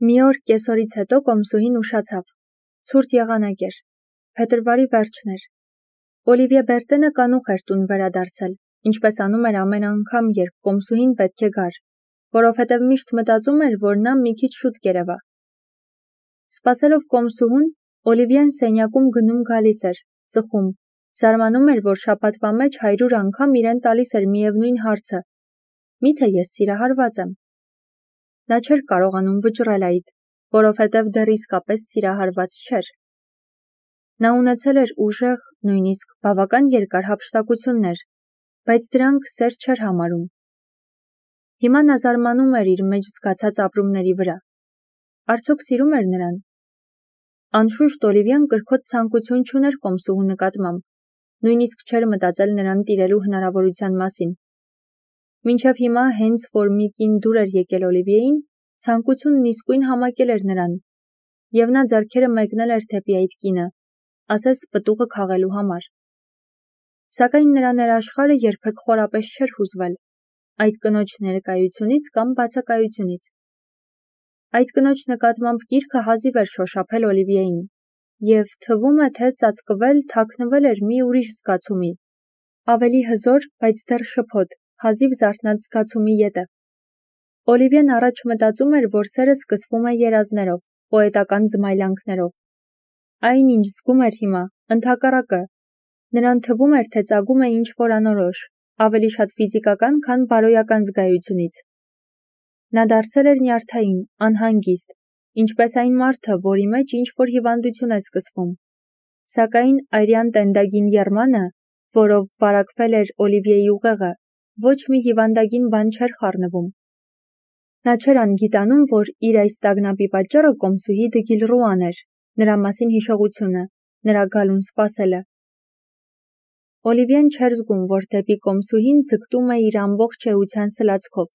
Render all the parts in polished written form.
Մի օր կեսօրից հետո կոմսուհին ուշացավ. ցուրտ եղանակ էր, փետրվարի վերջն էր, Օլիվիե Բերտենը կանուխ էր տուն վերադարձել, ինչպես անում էր ամեն անգամ, երբ կոմսուհին պետք է գար, որովհետև միշտ մտածում էր, որ նա մի քիչ շուտ կերևա։ Սպասելով կոմսուհուն, Օլիվիեն սենյակում գնում-գալիս էր, ծխում, զարմանում էր, որ շաբաթվա մեջ 100 անգամ իրեն տալիս էր միևնույն հարցը. միթե ես սիրահարված եմ։ Նա չէր կարողանում վճռել այդ, որովհետև դեռ իսկապես սիրահարված չէր։ Նա ունեցել էր ուժեղ, նույնիսկ բավական երկար հափշտակություններ, բայց դրանք սեր չէր համարում։ Հիմա նա զարմանում էր իր մեջ զգացած ապրումների վրա։ Արդյոք սիրում էր նրան։ Անշուշտ Օլիվիան կրքոտ ցանկություն չուներ կոմսուհու նկատմամբ, նույնիսկ չէր մտածել նրան տիրելու հնարավորության մասին։ Մինչև հիմա հենց որ մի կին դուր էր եկել Օլիվիեին, ցանկությունն իսկույն համակել էր նրան, և նա ձեռքերը մեկնել էր դեպի այդ կինը, ասես պտուղը քաղելու համար։ Սակայն նրա ներաշխարհը երբեք խորապես չէր հուզվել այդ կնոջ ներկայությունից կամ բացակայությունից։ Այդ կնոջ նկատմամբ գիրքը հազիվ էր շոշափել Օլիվիեին, և թվում է, թե ծածկվել, թաքնվել էր մի ուրիշ զգացումի, ավելի հզոր, բայց դեռ շփոթ, հազիվ զարթնած զգացումի ետևը։ Օլիվիեն առաջ մտածում էր, որ սերը սկսվում է երազներով, պոետական զմայլանքներով։ Այն, ինչ զգում էր հիմա, ընդհակառակը, նրան թվում էր, թե ծագում է ինչ-որ անորոշ, ավելի շատ ֆիզիկական, քան բարոյական զգայությունից։ Նա դարձել էր նյարդային, անհանգիստ, ինչպես այն մարդը, որի մեջ ինչ-որ հիվանդություն է սկսվում։ Սակայն արյան տենդագին եռմանը, որով վարակվել էր Օլիվիեի ուղեղը, ոչ մի հիվանդագին բան չէր խառնվում։ Նա չէր անգիտանում, որ իր այս տագնապի պատճառը կոմսուհի Դգիլռուան էր, նրա մասին հիշողությունը, նրա գալուն սպասելը։ Օլիվիեն չէր զգում, որ դեպի կոմսուհին ձգտում է իր ամբողջ էության սլացքով,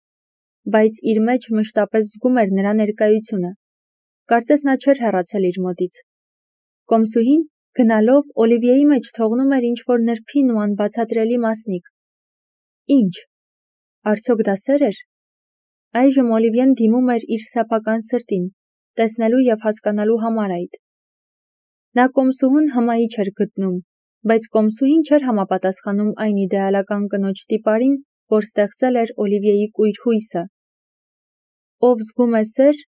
բայց իր մեջ մշտապես զգում էր նրա ներկայությունը։ Կարծես նա չէր հեռացել իր մոտից։ Կոմսուհին, գնալով, Օլիվիեի մեջ թողնում էր ինչ-որ նրբին ու անբացատրելի մասնիկ։ Ինչ։ Արդյոք դա սեր էր։ Այժմ Օլիվիեն դիմում էր իր սեփական սրտին, տեսնելու և հասկանալու համար այդ։ Նա կոմսուհուն հմայի չէր գտնում, բայց կոմսուհին չէր համապատասխանում այն իդեալական կնոջ տիպարին, որ ստեղծել էր Օլիվիեի կույր հույսը։ Ով զգում է սեր,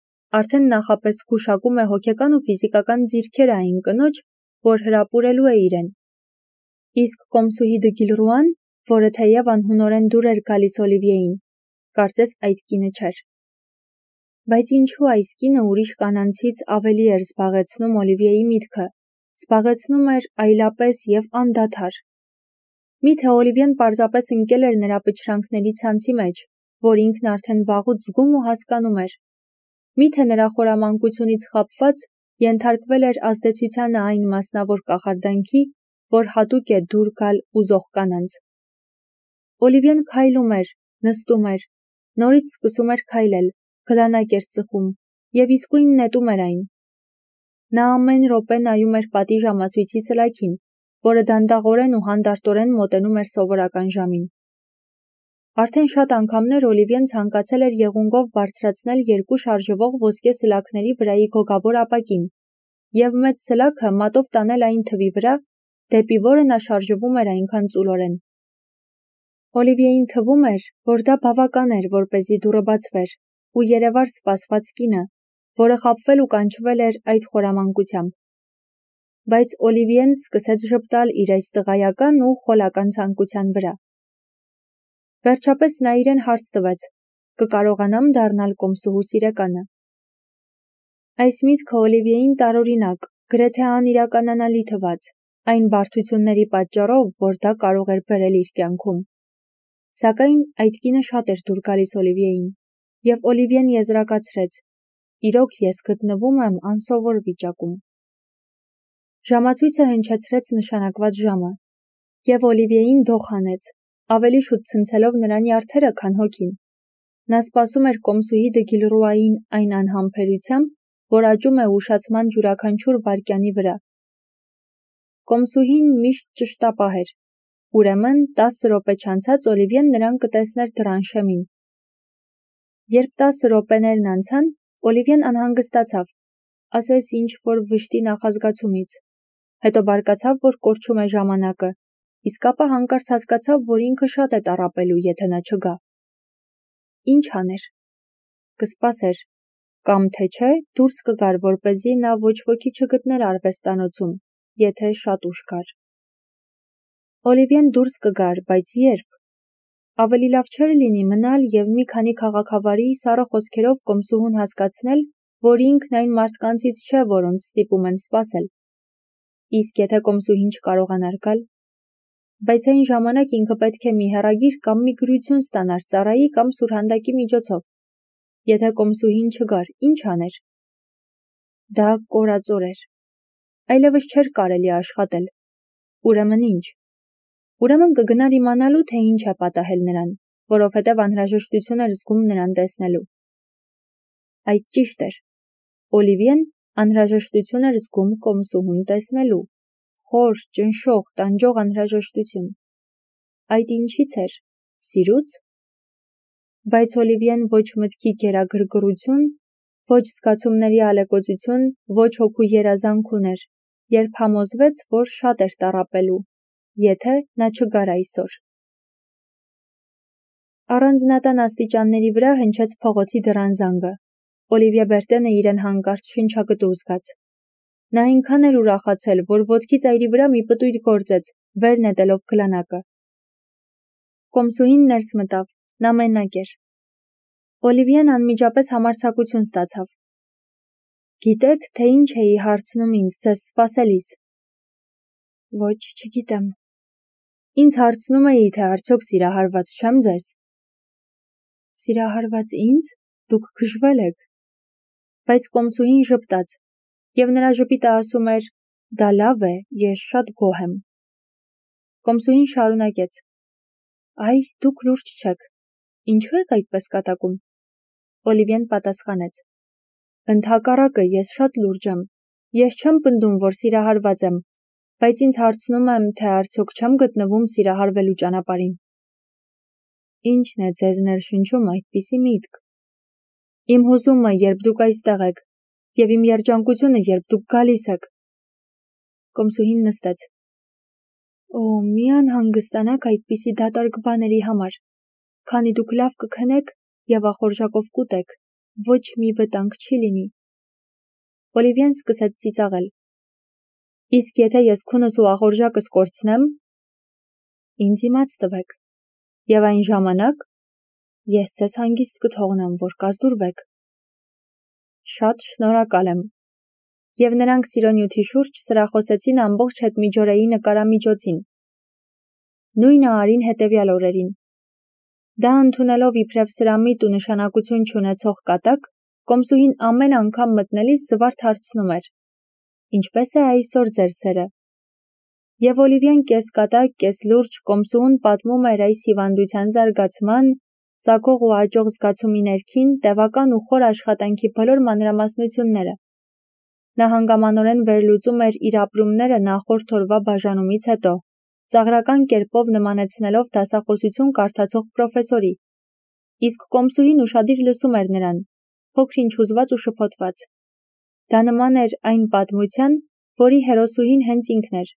արդեն նախապես զգուշակում է հոգեկան ու ֆիզիկական ձիրքերը այն կնոջ, որ հրապուրելու է իրեն։ Իսկ կոմսուհի Դգիլռուան, որը թեև անհունորեն դուր էր գալիս Օլիվիեին, կարծես այդ կինը չէր։ Բայց ինչու այս կինը ուրիշ կանանցից ավելի էր զբաղեցնում Օլիվիեի միտքը, զբաղեցնում էր այլապես և անդադար։ Միթե Օլիվիեն պարզապես ընկել էր նրա պչրանքների ցանցի մեջ, որ ինքն արդեն վաղուց զգում ու հասկանում էր։ Միթե նրա խորամանկությունից խաբված ենթարկվել էր ազդեցությանը այն մասնավոր կախարդանքի, որ հատուկ է դուր գալ ուզող կանանց։ Օլիվիեն քայլում էր, նստում էր, նորից սկսում էր քայլել, գլանակ էր ծխում և իսկույն նետում էր այն։ Նա ամեն րոպե նայում էր պատի ժամացույցի սլաքին, որը դանդաղորեն ու հանդարտորեն մոտենում էր սովորական ժամին։ Արդեն շատ անգամներ Օլիվիեն ցանկացել էր եղունգով բարձրացնել 2 շարժվող ոսկե սլաքների վրայի գոգավոր ապակին և մեծ սլաքը մատով տանել այն թվի վրա, դեպի որը նա շարժվում էր այնքան ծուլորեն։ Օլիվիեին թվում էր, որ դա բավական էր, որպեսզի դուռը բացվեր, ու երևար սպասված կինը, որը խաբվել ու կանչվել էր այդ խորամանկությամբ։ Բայց Օլիվիեն սկսեց ժպտալ իր այս տղայական ու խոլական ցանկության վրա։ Վերջապես նա իրեն հարց տվեց. կկարողանամ դառնալ կոմսուհու սիրեկանը։ Այս միտքը Օլիվիեին տարօրինակ, գրեթե անիրականանալի թվաց, այն բարդությունների պատճառով, որ դա կարող էր բերել իր կյանքում։ Սակայն այդ կինը շատ էր դուր գալիս Օլիվիեին, և Օլիվիեն եզրակացրեց. իրոք ես գտնվում եմ անսովոր վիճակում։ Ժամացույցը հնչեցրեց նշանակված ժամը, և Օլիվիեին դող հանեց, ավելի շուտ ցնցելով նրա նյարդերը, քան հոգին։ Նա սպասում էր կոմսուհի Դգիլռուային այն անհամբերությամբ, որ աճում է ուշացման յուրաքանչյուր վայրկյանի վրա։ Կոմսուհին միշտ ճշտապահ էր։ Ուրեմն 10 րոպե չանցած Օլիվիեն նրան կտեսներ դռան շեմին։ Երբ 10 րոպեներն անցան, Օլիվիեն անհանգստացավ, ասես ինչ-որ վշտի նախազգացումից, հետո բարկացավ, որ կորչում է ժամանակը, իսկ ապա հանկարծ հասկացավ, որ ինքը շատ է տառապելու, եթե նա չգա։ Ինչ աներ։ Կսպասեր, կամ թե չէ դուրս կգար, որպեսզի նա ոչ ոքի չգտներ արվեստանոցում, եթե շատ ուշ գար։ Օլիվիեն դուրս կգար, բայց երբ։ Ավելի լավ չէր լինի մնալ և մի քանի քաղաքավարի սառը խոսքերով կոմսուհուն հասկացնել, որ ինքն այն մարդկանցից չէ, որոնց ստիպում են սպասել։ Իսկ եթե կոմսուհին չկարողանար գալ, բայց այն ժամանակ ինքը պետք է մի հեռագիր կամ մի գրություն ստանար ծառայի կամ սուրհանդակի միջոցով։ Եթե կոմսուհին չգար, ինչ աներ։ Դա կորածոր էր։ Այլևս չէր կարելի աշխատել։ Ուրեմն ինչ։ Ուրեմն կգնար իմանալու, թե ինչ է պատահել նրան, որովհետև անհրաժեշտություն էր զգում նրան տեսնելու։ Այդ ճիշտ էր։ Օլիվիեն անհրաժեշտություն էր զգում կոմսուհուն տեսնելու։ Խոր, ճնշող, տանջող անհրաժեշտություն։ Այդ ինչից էր։ Սիրուց։ Բայց Օլիվիեն ոչ մտքի գերագրգռություն, ոչ զգացումների ալեկոծություն, ոչ հոգու երազանք ուներ, երբ համոզվեց, որ շատ էր տառապելու, եթե նա չգար այսօր։ Առանձնատան աստիճանների վրա հնչեց փողոցի դռան զանգը։ Օլիվիե Բերտենը իրեն հանկարծ շնչակտուր զգաց։ Նա այնքան էր ուրախացել, որ ոտքի ծայրի վրա մի պտույտ գործեց, վեր նետելով գլանակը։ Կոմսուհին ներս մտավ, նա մենակ էր։ Օլիվիեն անմիջապես համարձակություն ստացավ։ Գիտեք, թե ինչ էի հարցնում ինձ ձեզ սպասելիս։ Ոչ, չգիտեմ։ Ինձ հարցնում էի, թե արդյոք սիրահարված չեմ ձեզ։ Սիրահարված ինձ։ Դուք գժվել եք։ Բայց կոմսուհին ժպտաց, և նրա ժպիտը ասում էր. դա լավ է, ես շատ գոհ եմ։ Կոմսուհին շարունակեց. այ, դուք լուրջ չեք։ Ինչու եք այդպես կատակում։ Օլիվիեն պատասխանեց. ընդհակառակը, ես շատ լուրջ եմ։ Ես չեմ պնդում, որ սիրահարված եմ, բայց ինձ հարցնում եմ, թե արդյոք չեմ գտնվում սիրահարվելու ճանապարհին։ Ինչն է ձեզ ներշնչում այդպիսի միտք։ Իմ հուզումը, երբ դուք այստեղ եք, և իմ երջանկությունը, երբ դուք գալիս եք։ Կոմսուհին նստեց։ Օ, մի անհանգստանաք այդպիսի դատարկ բաների համար, քանի դուք լավ կքնեք և ախորժակով կուտեք, ոչ մի վտանգ չի լինի։ Օլիվիեն սկսեց ծիծաղել։ Իսկ եթե ես քունս ու ախորժակս կորցնեմ, ինձ իմաց տվեք։ Եվ այն ժամանակ ես ձեզ հանգիստ կթողնեմ, որ կազդուրվեք։ Շատ շնորհակալ եմ։ Եվ նրանք սիրոնյութի շուրջ սրախոսեցին ամբողջ հետմիջօրեի նկարամիջոցին։ Նույնը արին հետևյալ օրերին։ Դա ընդունելով իբրև սրամիտ ու նշանակություն չունեցող կատակ, կոմսուհին ամեն անգամ մտնելիս զվարթ հարցնում էր. ինչպես է այսօր ձեր սերը։ Եվ Օլիվիեն կես կատակ, կես լուրջ կոմսուհուն պատմում էր այս հիվանդության զարգացման, ծագող ու աճող զգացումի ներքին, տևական ու խոր աշխատանքի բոլոր մանրամասնությունները։ Նա հանգամանորեն վերլուծում էր իր ապրումները նախորդ օրվա բաժանումից հետո, ծաղրական կերպով նմանեցնելով դասախոսություն կարդացող պրոֆեսորի։ Իսկ կոմսուհին ուշադիր լսում էր նրան, փոքր-ինչ հուզված ու շփոթված։ Դա նման էր այն պատմության, որի հերոսուհին հենց ինքն էր։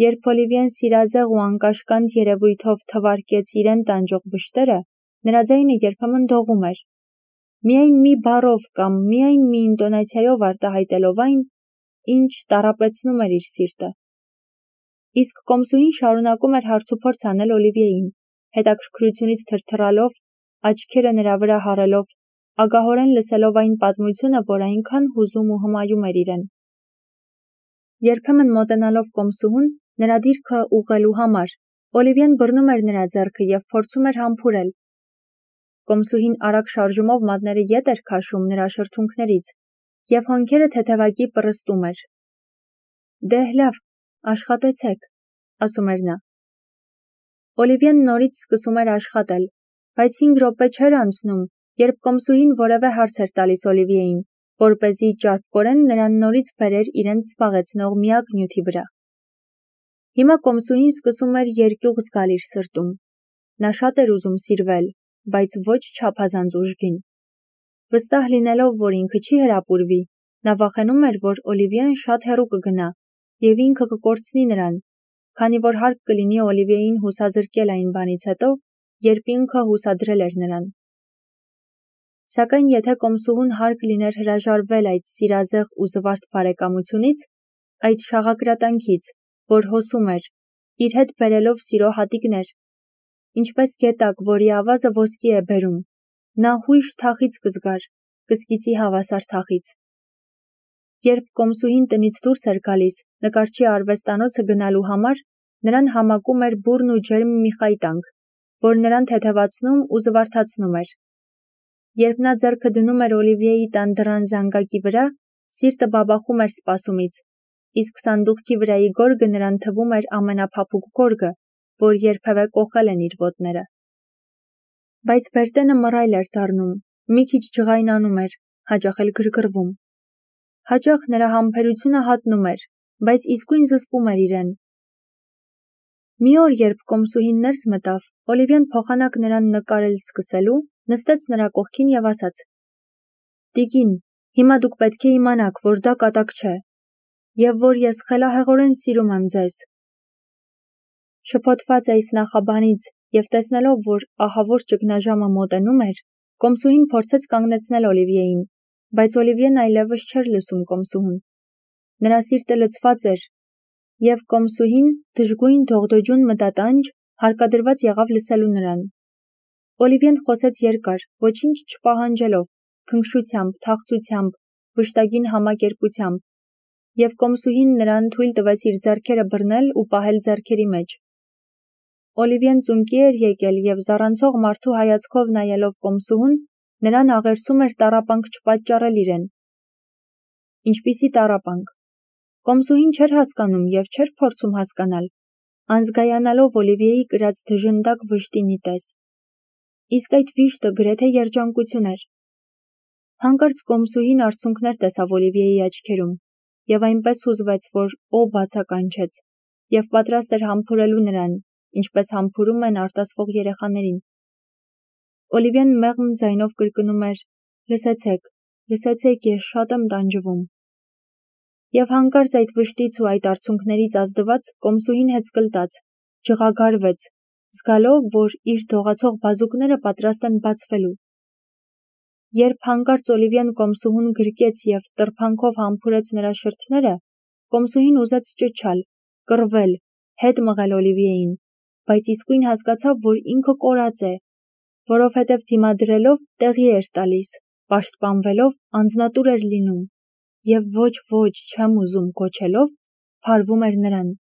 Երբ Օլիվիեն սիրազեղ ու անկաշկանդ երևույթով թվարկեց իրեն տանջող վշտերը, նրա ձայնը երբեմն դողում էր։ Միայն մի բառով կամ միայն մի ինտոնացիայով արտահայտելով այն, ինչ տառապեցնում էր իր սիրտը։ Իսկ կոմսուհին շարունակում էր հարցուփորձ անել Օլիվիեին, հետաքրքրությունից թրթռալով, աչքերը նրա վրա հառելով, ագահորեն լսելով այն պատմությունը, որ այնքան հուզում ու հմայում էր իրեն։ Երբեմն մոտենալով կոմսուհուն, նրա դիրքը ուղղելու համար, Օլիվիեն բռնում էր նրա ձեռքը և փորձում էր համբուրել։ Կոմսուհին արագ շարժումով մատները ետ էր քաշում նրա շրթունքներից, և հոնքերը թեթևակի պռստում էր։ Դե՛հ լավ, աշխատեցեք, ասում էր նա։ Օլիվիեն նորից սկսում էր աշխատել, բայց 5 րոպե չէր անցնում, երբ կոմսուհին որևէ հարց էր տալիս Օլիվիեին, որպեսզի ճարպկորեն նրան նորից բերեր իրենց զբաղեցնող միակ նյութի վրա։ Հիմա կոմսուհին սկսում էր երկյուղ զգալ իր սրտում։ Նա շատ էր ուզում սիրվել, բայց ոչ չափազանց ուժգին։ Վստահ լինելով, որ ինքը չի հրապուրվի, նա վախենում էր, որ Օլիվիեն շատ հեռու կգնա և ինքը կկորցնի նրան, քանի որ հարկ կլինի Օլիվիեին հուսազրկել այն բանից հետո, երբ ինքը հուսադրել էր նրան։ Սակայն եթե կոմսուհուն հարկ լիներ հրաժարվել այդ սիրազեղ ու զվարթ բարեկամությունից, այդ շաղակրատանքից, որ հոսում էր, իր հետ բերելով սիրո հատիկներ, ինչպես գետակ, որի ավազը ոսկի է բերում, նա հույժ թախից կզգար, կսկիծի հավասար թախից։ Երբ կոմսուհին տնից դուրս էր գալիս նկարչի արվեստանոցը գնալու համար, նրան համակում էր բուռն ու ջերմ մի խայտանք, որ նրան թեթևացնում ու զվարթացնում էր։ Երբ նա ձեռքը դնում էր Օլիվիեի տան դռան զանգակի վրա, սիրտը բաբախում էր սպասումից, իսկ սանդուղքի վրայի գորգը նրան թվում էր ամենափափուկ գորգը, որ երբևէ կոխել են իր ոտները։ Բայց Բերտենը մռայլ էր դառնում, մի քիչ ջղայնանում էր, հաճախ էլ գրգռվում։ Հաճախ նրա համբերությունը հատնում էր, բայց իսկույն զսպում էր իրեն։ Մի օր, երբ կոմսուհին ներս մտավ, Օլիվիեն փոխանակ նրան նկարել սկսելու, նստեց նրա կողքին և ասաց. «Տիկին, հիմա դուք պետք է իմանաք, որ դա կատակ չէ, և որ ես խելահեղորեն սիրում եմ ձեզ»։ Շփոթված այս նախաբանից և տեսնելով, որ ահավոր ճգնաժամը մոտենում էր, կոմսուհին փորձեց կանգնեցնել Օլիվիեին, բայց Օլիվիեն այլևս չէր լսում կոմսուհուն։ Նրա սիրտը լցված էր, և կոմսուհին, դժգույն դողդոջուն մտատանջ, հարկադրված եղավ լսելու նրան։ Օլիվիեն խոսեց երկար, ոչինչ չպահանջելով, քնքշությամբ, թախծությամբ, վշտագին համակերպությամբ, և կոմսուհին նրան թույլ տվեց իր ձեռքերը բռնել ու պահել ձեռքերի մեջ։ Օլիվիեն ծունկի էր եկել և զառանցող մարդու հայացքով նայելով կոմսուհուն, նրան աղերսում էր տառապանք չպատճառել իրեն։ Ինչպիսի տառապանք։ Կոմսուհին չէր հասկանում և չէր փորձում հասկանալ, անզգայանալով Օլիվիեի կրած դժնդակ վշտինի պես։ Իսկ այդ վիշտը գրեթե երջանկություն էր։ Հանկարծ կոմսուհին արցունքներ տեսավ Օլիվիեի աչքերում և այնպես հուզվեց, որ օ բացականչեց և պատրաստ էր համբուրելու նրան, ինչպես համբուրում են արտասվող երեխաներին։ Օլիվիեն մեղմ ձայնով կրկնում էր. «Լսեցեք, լսեցեք, ես շատ եմ տանջվում»։ Եվ հանկարծ այդ վշտից ու այդ արցունքներից ազդված կոմսուհին հեծկլտաց, ջղագարվեց, զգալով, որ իր դողացող բազուկները պատրաստ են բացվելու։ Երբ հանկարծ Օլիվիեն կոմսուհուն գրկեց և տրփանքով համբուրեց նրա շրթները, կոմսուհին ուզեց ճչալ, կռվել, հետ մղել Օլիվիեին, բայց իսկույն հասկացավ, որ ինքը կորած է, որովհետև դիմադրելով տեղի էր տալիս, պաշտպանվելով անձնատուր էր լինում և ոչ, չեմ ուզում կոչելով, փարվում էր նրան։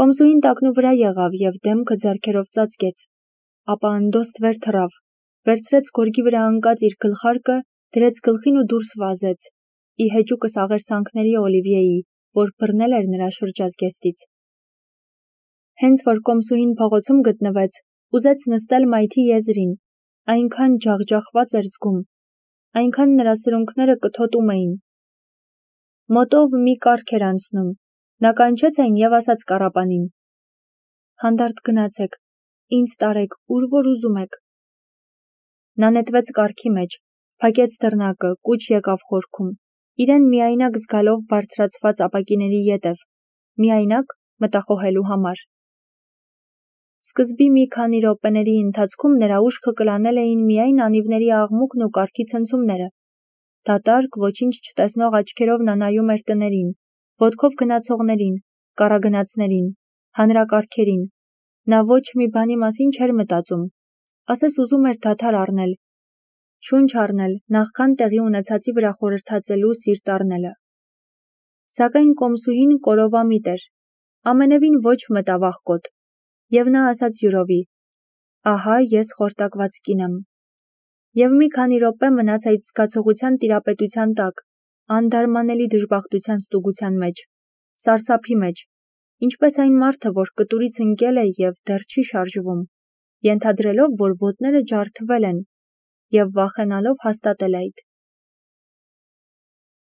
Կոմսուհին տակնու վրա եղավ և դեմքը ձեռքերով ծածկեց, ապա անդոստ վեր թռավ, վերցրեց գորգի վրա ընկած իր գլխարկը, դրեց գլխին ու դուրս վազեց, ի հեճուկս աղերսանքների Օլիվիեի, որ բռնել էր նրա շրջազգեստից։ Հենց որ կոմսուհին փողոցում գտնվեց, ուզեց նստել մայթի եզրին, այնքան ջախջախված էր զգում, այնքան նրա սրունքները կթոտում էին։ Մոտով մի կառք էր անցնում, նա կանչեց այն և ասաց կառապանին. «Հանդարտ գնացեք, ինձ տարեք, ուր որ ուզում եք»։ Նա նետվեց կառքի մեջ, փակեց դռնակը, կուչ եկավ խորքում, իրեն միայնակ զգալով բարձրացված ապակիների ետև, միայնակ մտախոհելու համար։ Սկզբի մի քանի րոպեների ընթացքում նրա ուշքը կլանել էին միայն անիվների աղմուկն ու կառքի ցնցումները։ Դատարկ, ոչինչ չտեսնող աչքերով նա նայում էր տներին, ոտքով գնացողներին, կառագնացներին, հանրակառքերին։ Նա ոչ մի բանի մասին չէր մտածում, ասես ուզում էր դադար առնել, շունչ առնել, նախքան տեղի ունեցածի վրա խորհրդածելու սիրտ առնելը։ Սակայն կոմսուհին կորովամիտ էր, ամենևին ոչ մտավախկոտ, և նա ասաց յուրովի. «Ահա ես խորտակված կին եմ»։ Եվ մի քանի րոպե մնաց այդ զգացողության տիրապետության տակ, անդարմանելի դժբախտության ստուգության մեջ, սարսափի մեջ, ինչպես այն մարդը, որ կտուրից ընկել է և դեռ չի շարժվում, ենթադրելով, որ ոտները ջարդվել են, և վախենալով հաստատել այդ։